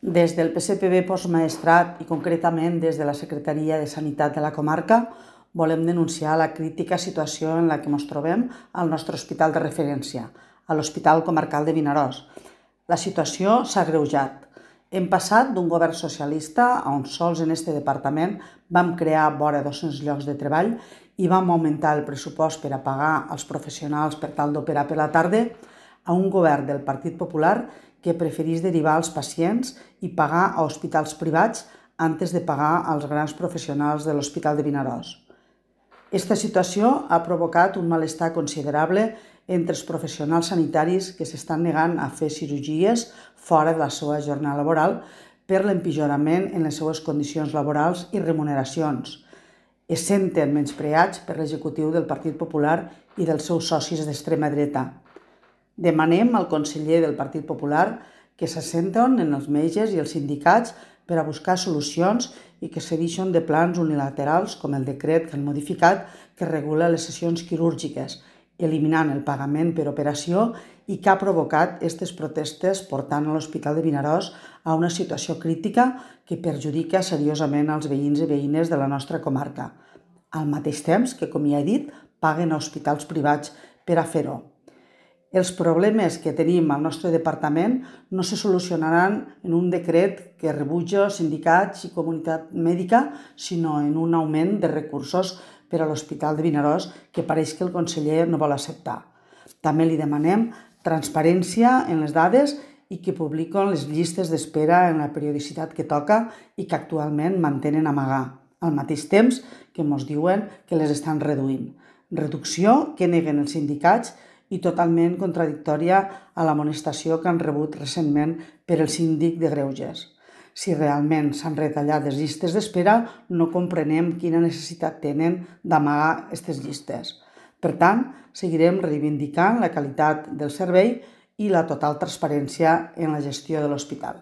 Des del PSPB Postmaestrat i concretament des de la Secretaria de Sanitat de la comarca volem denunciar la crítica situació en la que ens trobem al nostre hospital de referència, a l'Hospital Comarcal de Vinaròs. La situació s'ha agreujat. Hem passat d'un govern socialista on sols en aquest departament vam crear vora 200 llocs de treball i vam augmentar el pressupost per a pagar als professionals per tal d'operar per la tarda, a un govern del Partit Popular que preferís derivar els pacients i pagar a hospitals privats antes de pagar als grans professionals de l'Hospital de Vinaròs. Aquesta situació ha provocat un malestar considerable entre els professionals sanitaris que s'estan negant a fer cirurgies fora de la seva jornada laboral per l'empitjorament en les seues condicions laborals i remuneracions. Es senten menyspreats per l'executiu del Partit Popular i dels seus socis d'extrema dreta. Demanem al conseller del Partit Popular que s'assenten en els metges i els sindicats per a buscar solucions i que se deixen de plans unilaterals com el decret que han modificat que regula les sessions quirúrgiques, eliminant el pagament per operació i que ha provocat aquestes protestes portant a l'Hospital de Vinaròs a una situació crítica que perjudica seriosament als veïns i veïnes de la nostra comarca, al mateix temps que, com ja he dit, paguen a hospitals privats per a fer-ho. Els problemes que tenim al nostre departament no se solucionaran en un decret que rebutja sindicats i comunitat mèdica, sinó en un augment de recursos per a l'Hospital de Vinaròs que pareix que el conseller no vol acceptar. També li demanem transparència en les dades i que publiquen les llistes d'espera en la periodicitat que toca i que actualment mantenen amagar, al mateix temps que ens diuen que les estan reduint. Reducció que neguen els sindicats i totalment contradictòria a l'amonestació que han rebut recentment per el síndic de Greuges. Si realment s'han retallat les llistes d'espera, no comprenem quina necessitat tenen d'amagar aquestes llistes. Per tant, seguirem reivindicant la qualitat del servei i la total transparència en la gestió de l'hospital.